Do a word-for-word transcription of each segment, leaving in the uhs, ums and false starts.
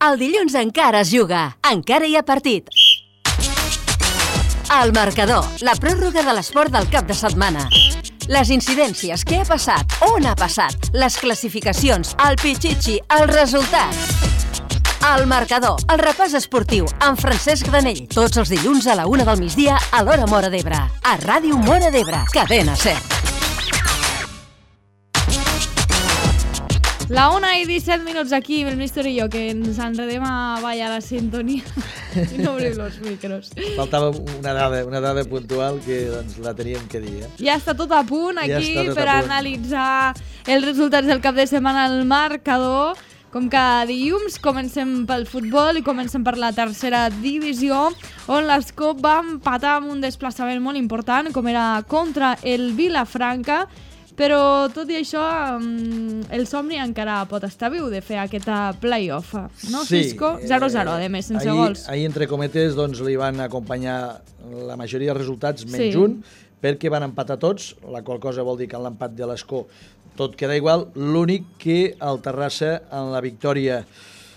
El dilluns encara es juga, encara hi ha partit. El marcador, la pròrroga de l'esport del cap de setmana. Les incidències, què ha passat, on ha passat, les classificacions, el pitxitxi, els resultats. El marcador, el repàs esportiu, amb Francesc Granell. Tots els dilluns a la una del migdia a l'hora Móra d'Ebre. A Ràdio Móra d'Ebre, cadena SER. La una i disset minuts aquí, el Míster i jo, que ens enredem a ballar la sintonia i no obrim els micros. Faltava una dada, una dada puntual que doncs, la teníem que dir. Eh? Ja està tot a punt aquí ja tot per a punt. analitzar els resultats del cap de setmana al marcador. Com cada dilluns comencem pel futbol i comencem per la tercera divisió, on l'Escó va empatar amb un desplaçament molt important, com era contra el Vilafranca. Però tot i això, el somni encara pot estar viu de fer aquest play-off, no, sí, Cisco? zero zero, a més, sense ahir, gols. Ahir, entre cometes, doncs, li van acompanyar la majoria de resultats, menys Sí. un, perquè van empatar tots, la qual cosa vol dir que en l'empat de l'Escó tot queda igual. L'únic que el Terrassa, en la victòria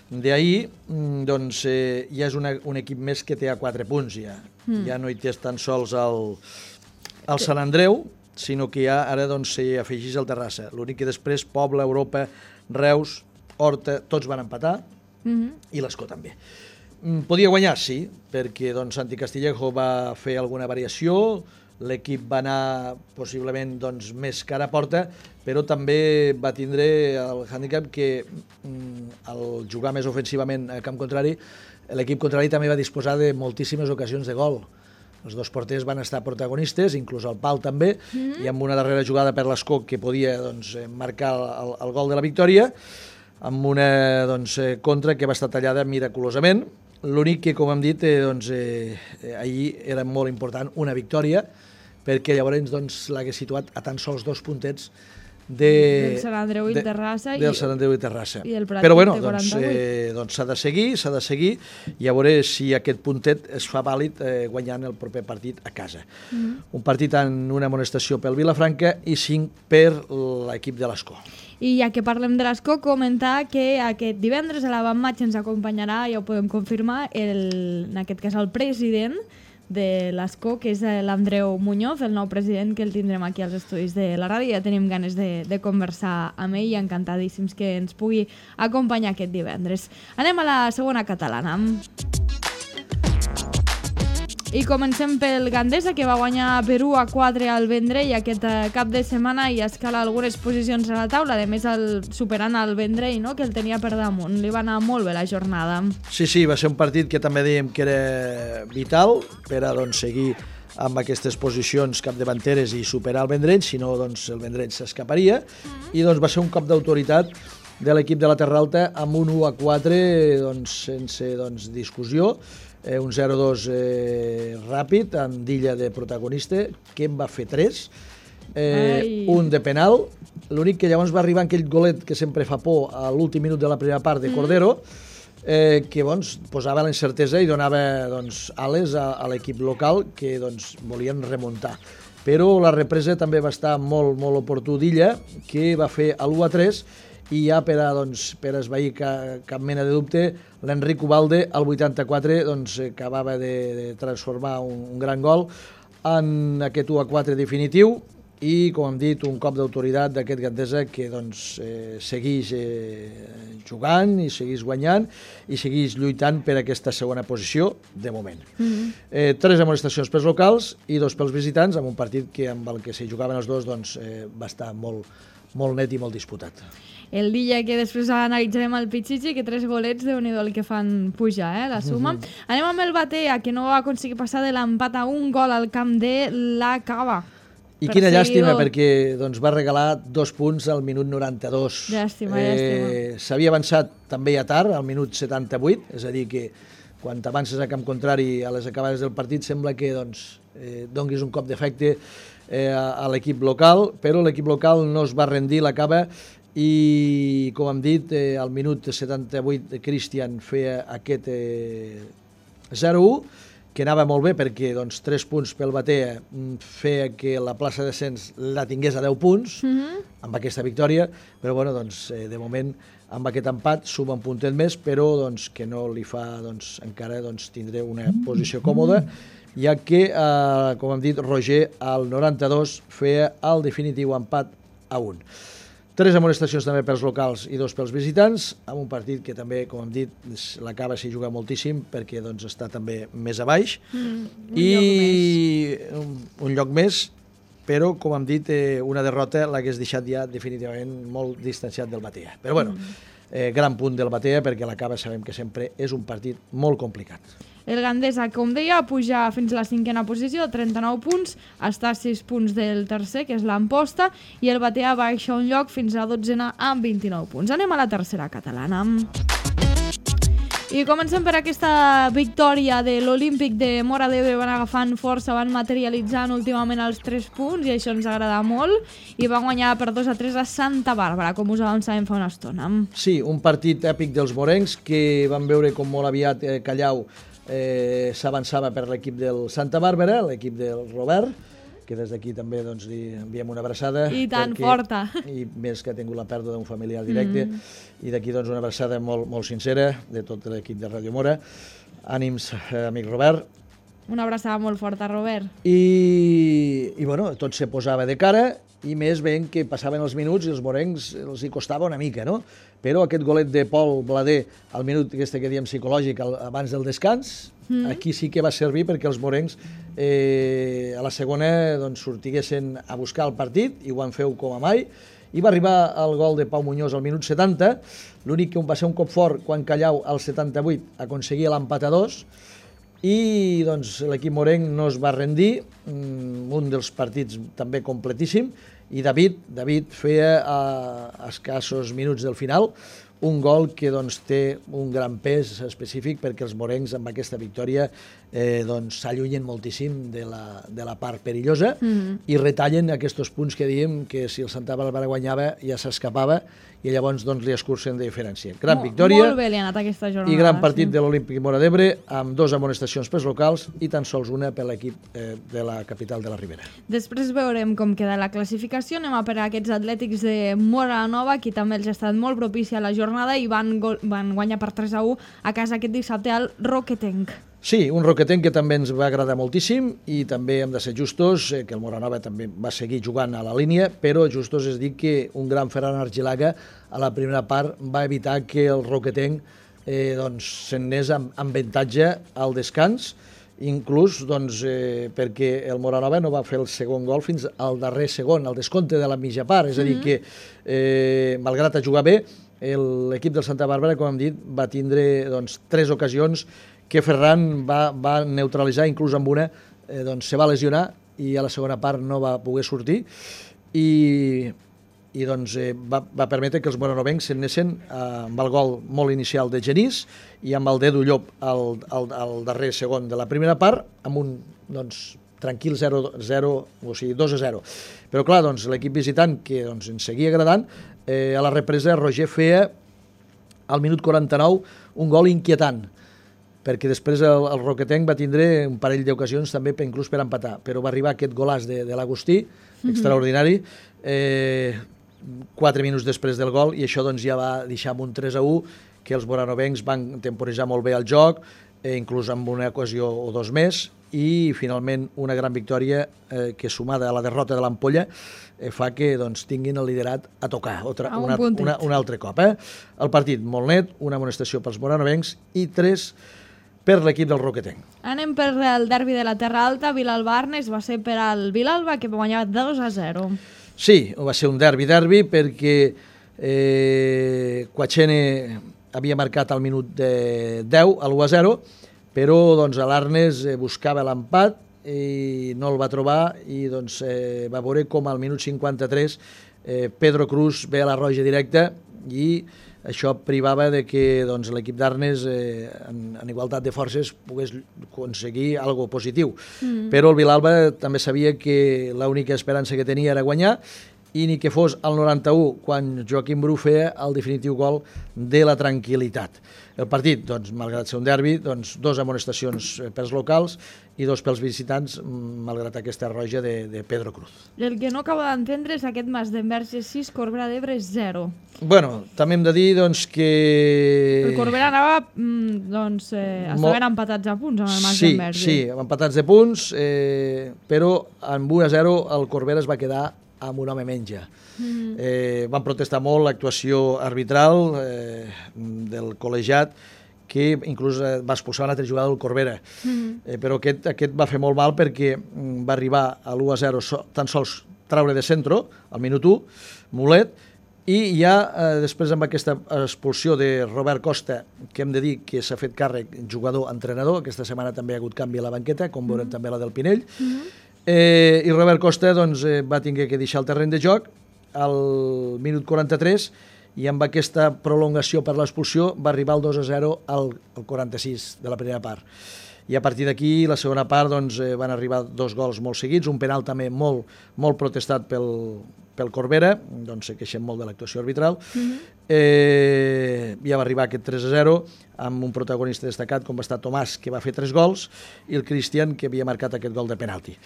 d'ahir, doncs, eh, ja és una, un equip més que té a quatre punts, ja. Mm. Ja no hi té tan sols el, el Sant Andreu, sinó que ja ara doncs, s'hi afegeix el Terrassa. L'únic que després Pobla, Europa, Reus, Horta, tots van empatar, mm-hmm. i l'Escó també. Podia guanyar, sí, perquè doncs, Santi Castillejo va fer alguna variació, l'equip va anar possiblement doncs, més cara a porta, però també va tindre el hàndicap que al jugar més ofensivament a camp contrari, l'equip contrari també va disposar de moltíssimes ocasions de gol. Els dos porters van estar protagonistes, inclús el Pal també, mm. i amb una darrera jugada per l'Escó que podia doncs, marcar el, el gol de la victòria, amb una doncs, contra que va estar tallada miraculosament. L'únic que, com hem dit, eh, doncs, eh, ahir era molt important una victòria, perquè llavors doncs, l'hagués situat a tan sols dos puntets de, del Sant Andreu i Terrassa. Del Sant Andreu i Terrassa. I el Prat Però bueno, té doncs, quaranta-vuit. eh, doncs s'ha de seguir, s'ha de seguir, i a veure si aquest puntet es fa vàlid eh, guanyant el proper partit a casa. Mm-hmm. Un partit amb una amonestació pel Vilafranca i cinc per l'equip de l'Escó. I ja que parlem de l'Escó, comentar que aquest divendres a l'avantmatx ens acompanyarà, ja ho podem confirmar, el, en aquest cas el president de l'Escó, que és l'Andreu Muñoz, el nou president, que el tindrem aquí als estudis de la ràdio. Ja tenim ganes de, de conversar amb ell i encantadíssims que ens pugui acompanyar aquest divendres. Anem a la segona catalana. I comencem pel Gandesa, que va guanyar per u a quatre al Vendrell aquest cap de setmana i escala algunes posicions a la taula, a més el, superant el Vendrell, no?, que el tenia per damunt. Li va anar molt bé la jornada. Sí, sí, va ser un partit que també dèiem que era vital per a doncs, seguir amb aquestes posicions capdavanteres i superar el Vendrell, si no doncs, el Vendrell s'escaparia, mm-hmm. i doncs, va ser un cop d'autoritat de l'equip de la Terra Alta amb un u a quatre doncs, sense doncs, discussió. Eh, un zero dos eh, ràpid, amb Dilla de protagonista, que en va fer tres, eh, un de penal, l'únic que llavors va arribar aquell golet que sempre fa por a l'últim minut de la primera part de Cordero, eh, que doncs, posava la incertesa i donava doncs, ales a, a l'equip local que doncs, volien remuntar. Però la represa també va estar molt, molt oportú d'Illa, que va fer l'u a tres, i ja per a, doncs, per a esvair ca, cap mena de dubte, l'Enric Ubalde, al vuitanta-quatre, doncs, acabava de, de transformar un, un gran gol en aquest u a quatre definitiu i, com hem dit, un cop d'autoritat d'aquest Gandesa que doncs, eh, segueix eh, jugant i segueix guanyant i segueix lluitant per aquesta segona posició, de moment. Mm-hmm. eh, tres amonestacions pels locals i dos pels visitants, amb un partit que amb el que s'hi jugaven els dos doncs, eh, va estar molt, molt net i molt disputat. El dia que després analitzarem el Pichichi, que tres golets, Déu-n'hi-do el que fan pujar, eh, la suma. Mm-hmm. Anem amb el Batea, que no va aconseguir passar de l'empat a un gol al camp de la Cava. I quina llàstima, perquè doncs, va regalar dos punts al minut noranta-dos. Llàstima, eh, llàstima. S'havia avançat també a tard, al minut setanta-vuit, és a dir, que quan t'avances a camp contrari a les acabades del partit sembla que doncs, eh, donguis un cop d'efecte eh, a, a l'equip local, però l'equip local no es va rendir, l'acaba, i com hem dit, eh, al minut setanta-vuit Cristian feia aquest eh, zero u, que anava molt bé perquè doncs, tres punts pel Batea feia que la plaça de descens la tingués a deu punts, mm-hmm. amb aquesta victòria, però bueno, doncs, eh, de moment amb aquest empat suma un puntet més, però doncs, que no li fa doncs, encara doncs, tindré una posició còmoda, ja que, eh, com hem dit, Roger al noranta-dos feia el definitiu empat a un. Tres amonestacions també pels locals i dos pels visitants, amb un partit que també, com hem dit, l'acaba s'hi juga moltíssim perquè doncs, està també més a baix. Mm, un I lloc més. Un, un lloc més, però, com hem dit, eh, una derrota l'hagués deixat ja definitivament molt distanciat del Batea. Però, bueno, eh, gran punt del Batea perquè l'acaba sabem que sempre és un partit molt complicat. El Gandesa, com deia, puja fins a la cinquena posició, trenta-nou punts, està a sis punts del tercer, que és l'Amposta, i el Batea baixa un lloc fins a la dotzena amb vint-i-nou punts. Anem a la tercera catalana. I comencem per aquesta victòria de l'Olímpic de Móra d'Ebre. Van agafant força, van materialitzant últimament els tres punts, i això ens agrada molt, i van guanyar per dos a tres a Santa Bàrbara, com us avançàvem fa una estona. Sí, un partit èpic dels morencs, que van veure com molt aviat eh, Callau Eh, s'avançava per l'equip del Santa Bàrbara, l'equip del Robert, que des d'aquí també doncs, li enviem una abraçada. I tan perquè, forta. I més que ha tingut la pèrdua d'un familiar directe. Mm. I d'aquí doncs, una abraçada molt, molt sincera de tot l'equip de Ràdio Móra. Ànims, eh, amic Robert. Una abraçada molt forta, Robert. I, i bueno, tot se posava de cara, i més veient que passaven els minuts i els morencs els hi costava una mica, no? Però aquest golet de Pol Blader al minut este que diem psicològic al, abans del descans, mm. aquí sí que va servir perquè els morencs eh, a la segona doncs, sortiguessin a buscar el partit, i ho van fer com a mai, i va arribar el gol de Pau Muñoz al minut setanta, l'únic que va ser un cop fort quan Callau al setanta-vuit aconseguia l'empat a dos, i doncs, l'equip morenc no es va rendir, un dels partits també completíssim, i David, David feia a escassos minuts del final un gol que doncs, té un gran pes específic perquè els morencs amb aquesta victòria eh, doncs, s'allunyen moltíssim de la, de la part perillosa mm-hmm. i retallen aquests punts que diem que si el Santa Bàrbara guanyava ja s'escapava, i llavors doncs, li escurcen de diferència. Gran Mo victòria molt bé li ha anat aquesta jornada, i gran partit sí. de l'Olímpic Móra d'Ebre, amb dos amonestacions pels locals i tan sols una per l'equip eh, de la capital de la Ribera. Després veurem com queda la classificació. Anem a per a aquests atlètics de Móra Nova, que també els ha estat molt propícia la jornada i van, van guanyar per tres a u a casa aquest dissabte al Roquetenc. Sí, un Roquetenc que també ens va agradar moltíssim, i també hem de ser justos, eh, que el Móra Nova també va seguir jugant a la línia, però justos és dir que un gran Ferran Argilaga a la primera part va evitar que el Roquetenc eh, doncs, se'n anés amb, amb avantatge al descans, inclús doncs, eh, perquè el Móra Nova no va fer el segon gol fins al darrer segon, al descompte de la mitja part, és a dir que, eh, malgrat a jugar bé, l'equip del Santa Bàrbara, com hem dit, va tindre doncs, tres ocasions que Ferran va, va neutralitzar, inclús amb una eh, doncs, se va lesionar i a la segona part no va poder sortir, i, i doncs, eh, va, va permetre que els moranovencs s'anessin eh, amb el gol molt inicial de Genís i amb el dedo Llop al, al, al darrer segon de la primera part, amb un doncs, tranquil zero zero, o sigui dos a zero. Però clar, doncs, l'equip visitant, que doncs, ens seguia agradant, eh, a la represa Roger feia al minut quaranta-nou un gol inquietant, perquè després el, el Roquetenc va tindre un parell d'ocasions també per, inclús per empatar, però va arribar aquest golàs de, de l'Agustí, mm-hmm. extraordinari, eh, quatre minuts després del gol, i això doncs, ja va deixar amb un tres a u, que els moranovencs van temporitzar molt bé el joc, eh, inclús amb una ocasió o dos més, i finalment una gran victòria eh, que, sumada a la derrota de l'Ampolla, eh, fa que doncs, tinguin el liderat a tocar otra, a un, una, una, un altre cop. Eh? El partit molt net, una amonestació pels moranovencs i tres per l'equip del Roquetenc. Anem per el derbi de la Terra Alta. Vilalba-Arnes va ser per al Vilalba, que va guanyar dos a zero. Sí, va ser un derbi-derbi perquè eh, Quachene havia marcat al minut de deu, a l'u a zero, però doncs, l'Arnes eh, buscava l'empat i no el va trobar, i doncs, eh, va veure com al minut cinquanta-tres eh, Pedro Cruz ve a la roja directa, i això privava de que doncs, l'equip d'Arnes eh, en, en igualtat de forces pogués aconseguir algo positiu. Mm. Però el Vilalba també sabia que l'única esperança que tenia era guanyar, i ni que fos al noranta-u, quan Joaquim Bru feia el definitiu gol de la tranquil·litat. El partit, doncs, malgrat ser un derbi, doncs, dos amonestacions pels locals i dos pels visitants, malgrat aquesta roja de, de Pedro Cruz. El que no acabo d'entendre és aquest Mas d'Envers és sis, Corbera d'Ebre és zero. Bueno, també hem de dir doncs, que... El Corbera anava, doncs, eh, estaven Mo... empatats a punts amb el Mas sí, d'Envers. Sí, empatats de punts, eh, però amb un a zero el Corbera es va quedar amb un home menja. Mm. Eh, van protestar molt l'actuació arbitral eh, del col·legiat, que inclús eh, va expulsar un altre jugador del Corbera. Mm. Eh, però aquest, aquest va fer molt mal perquè mm, va arribar a l'u a zero so, tan sols traure de centro, al minut u, Mulet, i ja eh, després amb aquesta expulsió de Robert Costa, que hem de dir que s'ha fet càrrec jugador-entrenador, aquesta setmana també ha hagut canvi a la banqueta, com veurem mm. també la del Pinell, mm. Eh, i Robert Costa doncs, eh, va haver que deixar el terreny de joc al minut quaranta-tres i amb aquesta prolongació per l'expulsió va arribar el dos a zero al, al quaranta-sis de la primera part. I a partir d'aquí, la segona part, doncs, eh, van arribar dos gols molt seguits, un penal també molt, molt protestat pel, pel Corbera, doncs se queixem molt de l'actuació arbitral. Mm-hmm. eh, ja va arribar aquest tres a zero amb un protagonista destacat com va estar Tomàs, que va fer tres gols, i el Cristian, que havia marcat aquest gol de penalti.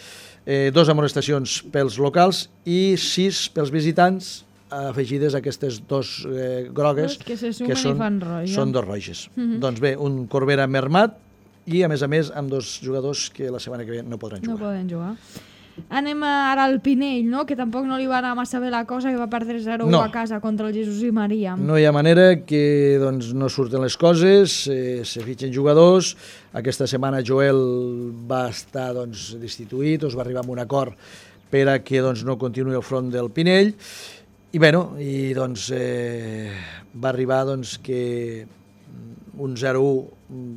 Eh, dos amonestacions pels locals i sis pels visitants, afegides a aquestes dos eh, grogues, que, se que són, són dos roges. Mm-hmm. Doncs bé, un Corbera mermat i, a més a més, amb dos jugadors que la setmana que ve no podran jugar. No poden jugar. Anem ara al Pinell, no? Que tampoc no li va anar massa bé la cosa, que va perdre zero a u no. a casa contra el Jesús i Maria. No hi ha manera que doncs, no surten les coses, eh, se fitxen jugadors. Aquesta setmana Joel va estar doncs, destituït, o es va arribar a un acord per a que doncs, no continuï el front del Pinell. I, bueno, i doncs, eh, va arribar doncs, que un zero a u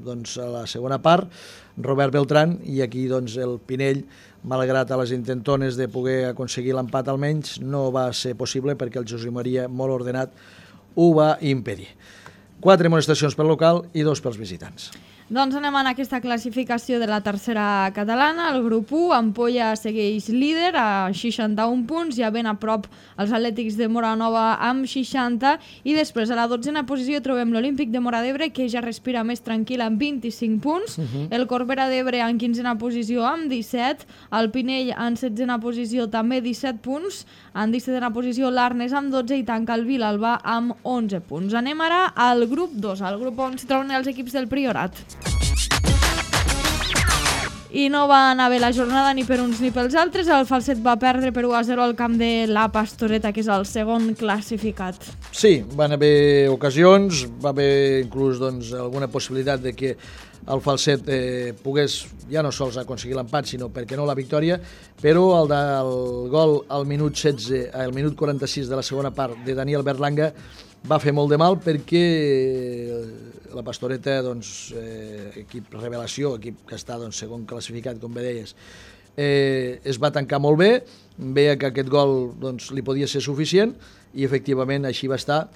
doncs, a la segona part, Robert Beltrán, i aquí doncs, el Pinell, malgrat a les intentones de poder aconseguir l'empat almenys, no va ser possible perquè el Josep Maria, molt ordenat, ho va impedir. Quatre amonestacions pel local i dos pels visitants. Doncs anem en aquesta classificació de la tercera catalana. El grup u, Ampolla segueix líder a seixanta-un punts, ja ben a prop els Atlètics de Móra Nova amb seixanta, i després a la dotzena posició trobem l'Olímpic de Móra d'Ebre, que ja respira més tranquil amb vint-i-cinc punts, uh-huh. el Corbera d'Ebre en quinzena posició amb disset, el Pinell en setzena posició també disset punts, en dissetena posició l'Arnes amb dotze i tanca el Vilalba amb onze punts. Anem ara al grup dos, al grup on s'hi troben els equips del Priorat. I no va anar bé la jornada ni per uns ni pels altres. El Falset va perdre per u a zero al camp de la Pastoreta, que és el segon classificat. Sí, van haver ocasions, va haver inclús doncs, alguna possibilitat de que el Falset eh, pogués ja no sols aconseguir l'empat, sinó perquè no la victòria, però el, de, el gol al minut setze, al minut quaranta-sis de la segona part de Daniel Berlanga va fer molt de mal perquè la Pastoreta, doncs, eh, equip revelació, equip que està doncs, segon classificat, com bé deies, eh, es va tancar molt bé, veia que aquest gol doncs, li podia ser suficient i efectivament així va estar,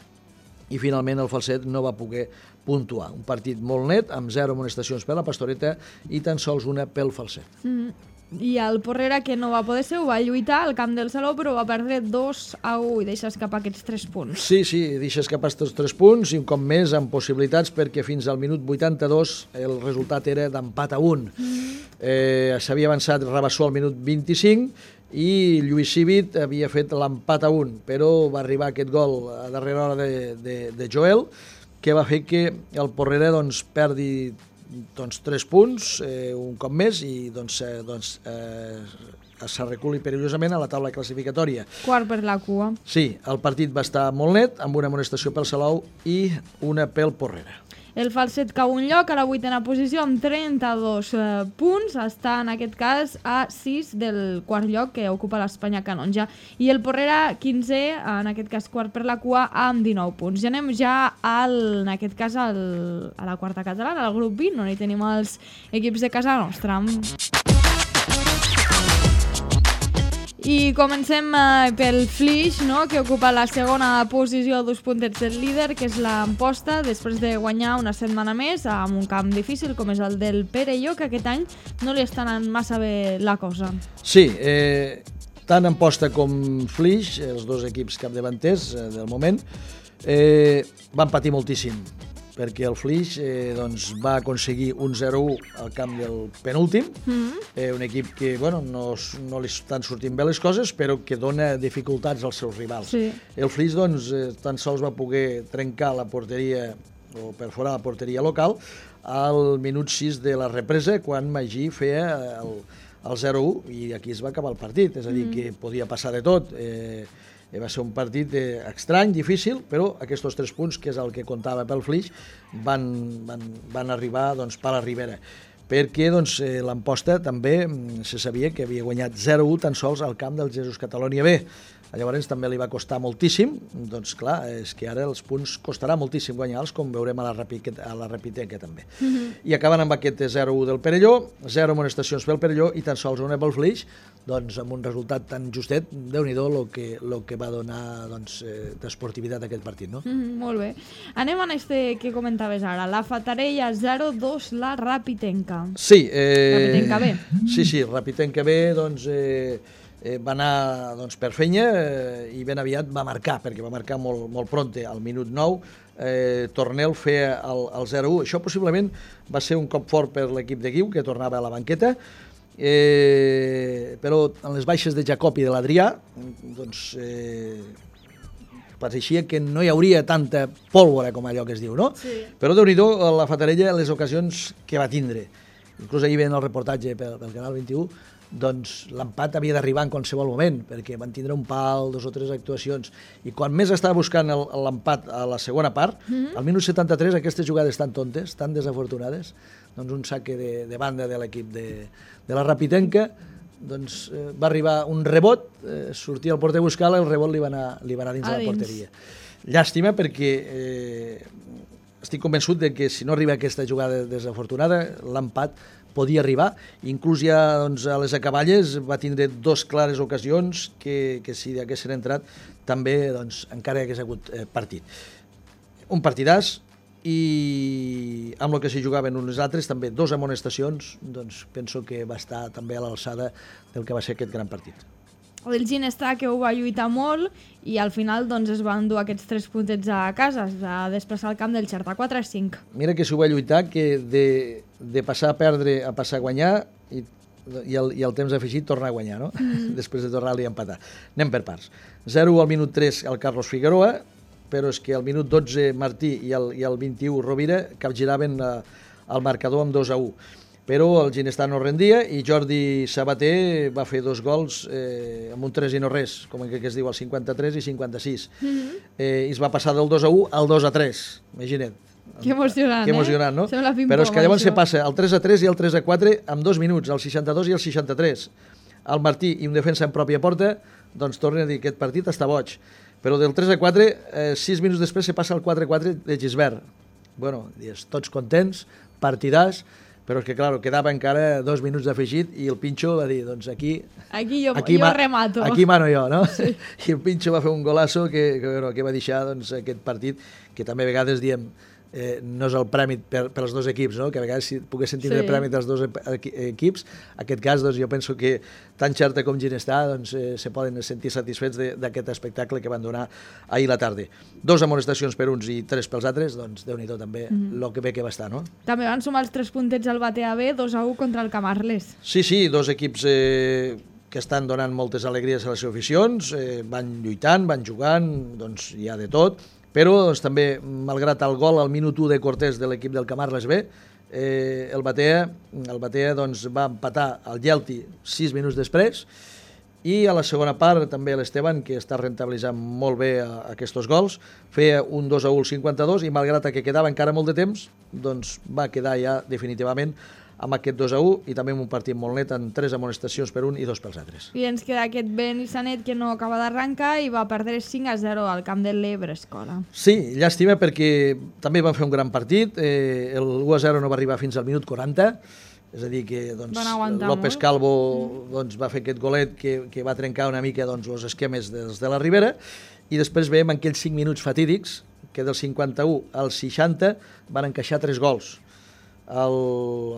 i finalment el Falset no va poder puntuar. Un partit molt net, amb zero amonestacions per la Pastoreta i tan sols una pel Falset. Mm. I el Porrera, que no va poder ser, ho va lluitar al camp del Saló, però va perdre dos a u i deixa escapar aquests tres punts. Sí, sí, deixa escapar aquests tres punts i un cop més amb possibilitats, perquè fins al minut vuitanta-dos el resultat era d'empat a un. Mm. Eh, S'havia avançat Rabassó al minut vint-i-cinc i Lluís Civit havia fet l'empat a un, però va arribar aquest gol a darrera hora de, de, de Joel, que va fer que el Porrera doncs, perdi doncs, tres punts, eh, un cop més, i doncs, eh, doncs, eh, s'arreculi perillosament a la taula classificatòria. Quart per la cua. Sí, el partit va estar molt net, amb una amonestació pel Salou i una pel Porrera. El Falset cau un lloc a la vuitena posició amb trenta-dos eh, punts, està en aquest cas a sis del quart lloc que ocupa l'Espanya Canonja, i el Porrera quinzè, en aquest cas quart per la cua, amb dinou punts. I anem ja al, en aquest cas al, a la quarta catalana, al grup vint, on hi tenim els equips de casa nostra. I comencem eh, pel Flix, no?, que ocupa la segona posició a dos puntets del líder, que és l'Amposta, després de guanyar una setmana més amb un camp difícil com és el del Perelló, que aquest any no li està anant massa bé la cosa. Sí, eh, tant Amposta com Flix, els dos equips capdavanters eh, del moment, eh, van patir moltíssim, perquè el Flix eh, doncs, va aconseguir un zero u al camp del penúltim, mm-hmm. eh, un equip que bueno, no, no li estan sortint bé les coses, però que dona dificultats als seus rivals. Sí. El Flix doncs, eh, tan sols va poder trencar la porteria o perforar la porteria local al minut sis de la represa, quan Magí feia el, el zero u, i aquí es va acabar el partit, és a dir, mm. que podia passar de tot. Eh, va ser un partit eh, estrany, difícil, però aquests tres punts, que és el que comptava pel Flix, van, van, van arribar doncs, per la Ribera. Perquè doncs, eh, l'Amposta també se sabia que havia guanyat zero u tan sols al camp del Jesús Catalonia B. Llavors també li va costar moltíssim, doncs clar, és que ara els punts costarà moltíssim guanyar-los, com veurem a la, a la Repitenca també. Mm-hmm. I acaben amb aquest zero u del Perelló, zero amonestacions pel Perelló i tan sols una pel Flix, doncs amb un resultat tan justet, Déu-n'hi-do el que, lo que va donar doncs, eh, d'esportivitat aquest partit, no? Mm, molt bé. Anem a este que comentaves ara, la Fatarella zero dos, la Rapitenca. Sí. Eh, Rapitenca B. Sí, sí, Rapitenca B, doncs... Eh, Eh, va anar doncs, per fenya eh, i ben aviat va marcar, perquè va marcar molt, molt pronte, al minut nou, eh, Tornel feia el, el zero u. Això possiblement va ser un cop fort per l'equip de Guiu, que tornava a la banqueta, eh, però en les baixes de Jacob i de l'Adrià, doncs, eh, pareixia que no hi hauria tanta pólvora com allò que es diu, no? Sí. Però Déu-n'hi-do la Fatarella les ocasions que va tindre. Inclús ahir veient el reportatge pel, pel Canal vint-i-u, doncs l'empat havia d'arribar en qualsevol moment, perquè van tindre un pal, dos o tres actuacions, i quan més estava buscant l'empat a la segona part, mm-hmm. al minut setanta-tres, aquestes jugades tan tontes, tan desafortunades, doncs un saque de, de banda de l'equip de, de la Rapitenca, doncs eh, va arribar un rebot, eh, sortia el porter a buscar-la, el rebot li va anar, li va anar dins a de la porteria. Llàstima, perquè eh, estic convençut de que si no arriba aquesta jugada desafortunada, l'empat podia arribar, inclús ja doncs, a les acaballes va tindre dos clares ocasions que, que si haguessin entrat també doncs, encara hagués hagut eh, partit. Un partidàs i amb el que s'hi jugaven uns altres també dos amonestacions, doncs penso que va estar també a l'alçada del que va ser aquest gran partit. El Ginestar, que ho va lluitar molt i al final doncs, es van dur aquests tres puntets a casa, es va desplaçar al camp del Xerta quatre a cinc. Mira que s'ho va lluitar, que de, de passar a perdre a passar a guanyar i, i, el, i el temps afegit tornar a guanyar, no? Mm. Després de tornar-li a empatar. Anem per parts. zero al minut tres al Carlos Figueroa, però és que al minut dotze Martí i al, i al vint-i-u Rovira capgiraven eh, el marcador amb dos a u. Però el Ginestar no rendia i Jordi Sabater va fer dos gols eh, amb un tres i no res, com que es diu, al cinquanta-tres i cinquanta-sis. Mm-hmm. eh, I es va passar del dos a u al dos a tres, imagina't. Que emocionant, que emocionant, eh? no? Sembla ping-pong, però és que llavors això. se passa al tres a tres i al tres a quatre amb dos minuts, al seixanta-dos i al seixanta-tres. El Martí i un defensa en pròpia porta, doncs tornen a dir que aquest partit està boig. Però del tres a quatre, eh, sis minuts després se passa al quatre a quatre de Gisbert. Bueno, dius, tots contents, partidàs, però és que, clar, quedava encara dos minuts d'afegit i el Pinxo va dir, doncs aquí... Aquí jo, aquí jo ma, remato. Aquí mano jo, no? Sí. I el Pinxo va fer un golasso que, que, bueno, que va deixar doncs, aquest partit, que també a vegades diem, eh, no és el premi per, per als dos equips, no? Que a vegades si poguessin tindre sí. premi dels dos equips, en aquest cas doncs, jo penso que tant Xerta com Ginestar doncs, eh, se poden sentir satisfets d'aquest espectacle que van donar ahir la tarda. Dos amonestacions per uns i tres pels altres, doncs Déu-n'hi-do també el mm. que bé que va estar, no? També van sumar els tres puntets al Batea B, dos a u contra el Camarles. Sí, sí, dos equips eh, que estan donant moltes alegries a les seves aficions, eh, van lluitant, van jugant, doncs hi ha de tot, però doncs, també, malgrat el gol al minut u de Cortés de l'equip del Camarles B, eh, el Batea, el Batea doncs, va empatar el Gelti sis minuts després i a la segona part també l'Esteban, que està rentabilitzant molt bé a, a aquests gols, feia un dos a u al cinquanta-dos i malgrat que quedava encara molt de temps, doncs va quedar ja definitivament amb aquest dos a u i també amb un partit molt net amb tres amonestacions per un i dos pels altres. I ens queda aquest Benissanet que no acaba d'arrencar i va perdre cinc a zero al camp de l'Ebre Escola. Sí, llàstima perquè també van fer un gran partit, eh, el u a zero no va arribar fins al minut quaranta, és a dir que doncs, López Calvo doncs, va fer aquest golet que, que va trencar una mica doncs, els esquemes dels de la Ribera i després veiem aquells cinc minuts fatídics que del cinquanta-u al seixanta van encaixar tres gols. El,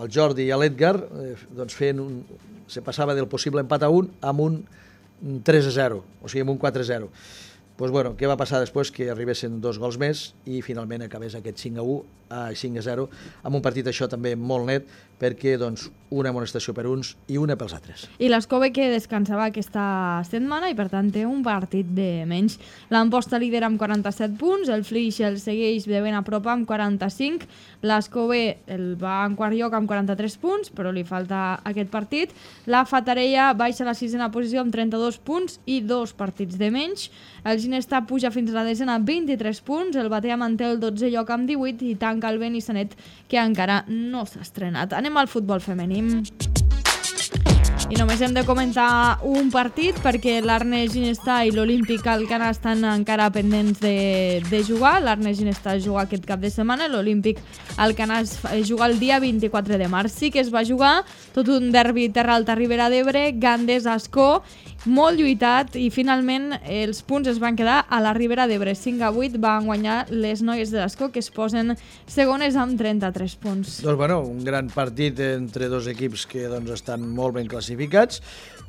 el Jordi i l'Edgar eh, doncs feien un, se passava del possible empat a un amb un tres a zero, o sigui, amb un quatre a zero. Pues bueno, què va passar després? Que arribessin dos gols més i finalment acabés aquest cinc a u, a cinc a zero, amb un partit això també molt net, perquè doncs, una amonestació per uns i una pels altres. I l'Escove que descansava aquesta setmana i per tant té un partit de menys. L'Amposta lidera amb quaranta-set punts, el Flix el segueix de ben a prop amb quaranta-cinc, l'Escove el va en quart lloc amb quaranta-tres punts, però li falta aquest partit. La Fatarella baixa a la sisena posició amb trenta-dos punts i dos partits de menys. El Ginestà puja fins a la desena amb vint-i-tres punts, el Batea manté el dotzè lloc amb divuit i tanca el Benissanet, que encara no s'ha estrenat. Anem al futbol femení. I només hem de comentar un partit perquè l'Arnes Ginestà i l'Olímpic Alcanar estan encara pendents de, de jugar. l'Arnes Ginestà juga aquest cap de setmana, l'Olímpic Alcanar juga el dia vint-i-quatre de març. Sí que es va jugar tot un derbi Terra Alta Ribera d'Ebre, Gandés-Ascó, molt lluitat i finalment els punts es van quedar a la Ribera d'Ebre. cinc a vuit van guanyar les noies de l'Ascó, que es posen segones amb trenta-tres punts. Doncs bueno, un gran partit entre dos equips que doncs, estan molt ben classificats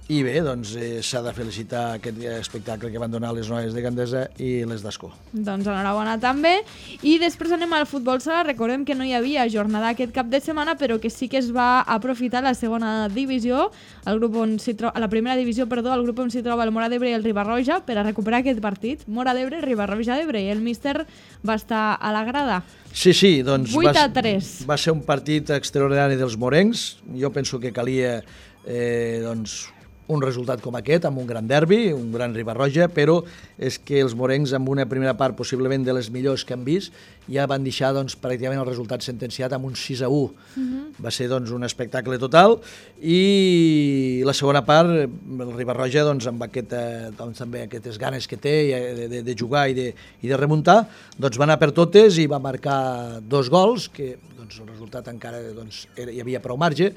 i bé, doncs eh, s'ha de felicitar aquest espectacle que van donar les noies de Gandesa i les d'Ascó. Doncs enhorabona també. I després anem al futbol sala. Recordem que no hi havia jornada aquest cap de setmana, però que sí que es va aprofitar la segona divisió, el grup on s'hi troba, la primera divisió, perdó, el grup on s'hi troba el Mora d'Ebre i el Riba-roja, per a recuperar aquest partit. Mora d'Ebre, Riba-roja d'Ebre, i el míster va estar a la grada. Sí, sí, doncs vuit a tres. Va, va ser un partit extraordinari dels morencs. Jo penso que calia eh, doncs, un resultat com aquest, amb un gran derbi, un gran Riba-roja, però és que els morencs, amb una primera part possiblement de les millors que han vist, ja van deixar doncs, pràcticament el resultat sentenciat amb un sis a u. Uh-huh. Va ser doncs, un espectacle total i la segona part, el Riba-roja, doncs, amb aquest, doncs, també aquestes ganes que té de, de, de jugar i de, i de remuntar, doncs, va anar per totes i va marcar dos gols, que doncs, el resultat encara doncs, era, hi havia prou marge.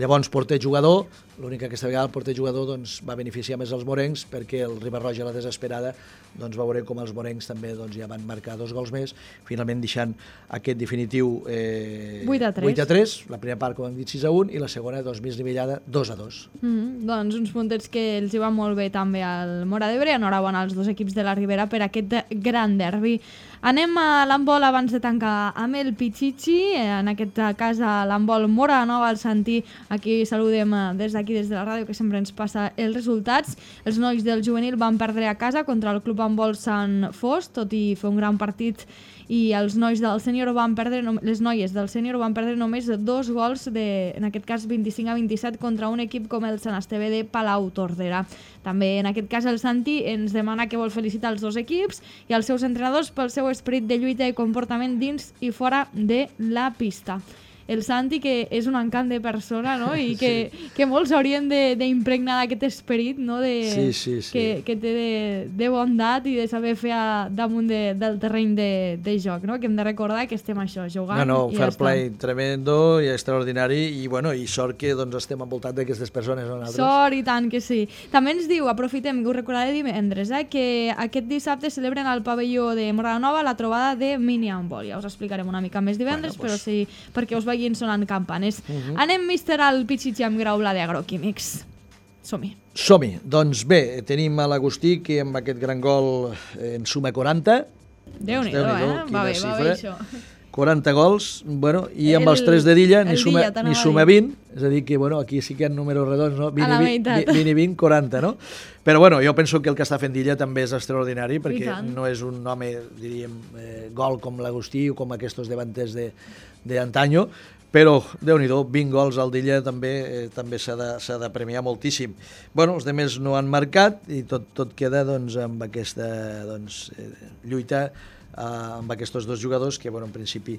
Llavors, porter-jugador, l'únic que aquesta vegada el porter-jugador doncs, va beneficiar més els morencs, perquè el Riba-roja, a la desesperada, doncs, va veure com els morencs també doncs, ja van marcar dos gols més, finalment deixant aquest definitiu eh, vuit a tres. vuit a tres, la primera part, com hem dit, sis a u, i la segona, doncs, més nivellada, dos a dos. Mm-hmm. Doncs uns puntets que els hi van molt bé també al Mora d'Ebre. Enhorabona als dos equips de la Ribera per aquest gran derbi. Anem a l'handbol abans de tancar amb el Pichichi. En aquest cas, a l'handbol Mora Nova, al Santí. Aquí saludem des d'aquí, des de la ràdio, que sempre ens passa els resultats. Els nois del juvenil van perdre a casa contra el Club Handbol Sant Fost, tot i fer un gran partit, i els nois del sènior van perdre, les noies del sènior van perdre només dos gols, de, en aquest cas vint-i-cinc a vint-i-set, contra un equip com el Sant Esteve de Palau Tordera. També en aquest cas el Santi ens demana que vol felicitar els dos equips i els seus entrenadors pel seu esperit de lluita i comportament dins i fora de la pista. El Santi, que és un encant de persona, no? I que, sí. que molts haurien d'impregnar d'aquest esperit, no? De, sí, sí, sí. Que, que té de, de bondat i de saber fer a, damunt de, del terreny de, de joc, no? Que hem de recordar que estem això, jugant. No, no, i fair ja play tremendo i extraordinari i, bueno, i sort que doncs, estem envoltats d'aquestes persones. No, sort i tant que sí. També ens diu, aprofitem, que ho recordaré divendres, eh, que aquest dissabte celebren al pavelló de Mora Nova la trobada de mini handball. Ja us explicarem una mica més divendres, bueno, pues... però sí, perquè us vagin sonant campanes. Uh-huh. Anem, míster, al Pichichi amb Grau Blada Agroquímics. Som-hi. Som-hi. Doncs bé, tenim a l'Agustí, que amb aquest gran gol en suma quaranta. Déu-n'hi-do, eh? Va bé, va bé, això. quaranta gols, bueno, i amb el, els tres de Dilla ni suma, Dilla, ni suma vint, és a dir que, bueno, aquí sí que hi ha números redons, no? vint, vint, vint, vint, quaranta, no? Però, bueno, jo penso que el que està fent Dilla també és extraordinari, perquè no és un home, diríem, eh, gol com l'Agustí o com aquests davanters d'antanyo, però, Déu-n'hi-do, vint gols al Dilla també eh, també s'ha de, s'ha de premiar moltíssim. Bueno, els demés no han marcat i tot, tot queda doncs, amb aquesta doncs, eh, lluita Uh, amb aquests dos jugadors que, bueno, en principi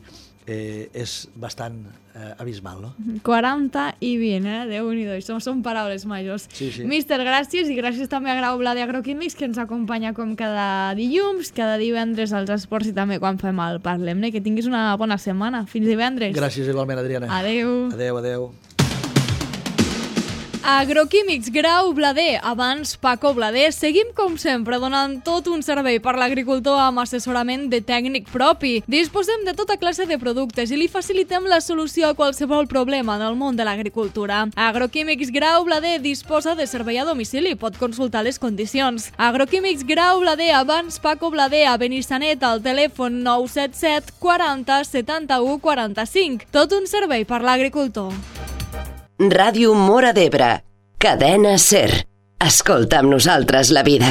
eh, és bastant eh, abismal, no? quaranta i vint, eh? Déu-n'hi-do, això són paraules majors. Sí, sí. Míster, gràcies, i gràcies també a Grau Blada Agroquímics, que ens acompanya com cada dilluns, cada divendres als esports i també quan fem el Parlem-ne. Que tinguis una bona setmana. Fins divendres. Gràcies igualment, Adriana. Adeu. Adeu, adeu. Agroquímics Grau Blader, abans Paco Blader. Seguim, com sempre, donant tot un servei per l'agricultor amb assessorament de tècnic propi. Disposem de tota classe de productes i li facilitem la solució a qualsevol problema del món de l'agricultura. Agroquímics Grau Blader disposa de servei a domicili, pot consultar les condicions. Agroquímics Grau Blader, abans Paco Blader, a Benissanet, al telèfon nou set set quaranta setanta-u quaranta-cinc. Tot un servei per l'agricultor. Ràdio Móra d'Ebre, cadena SER. Escolta amb nosaltres la vida.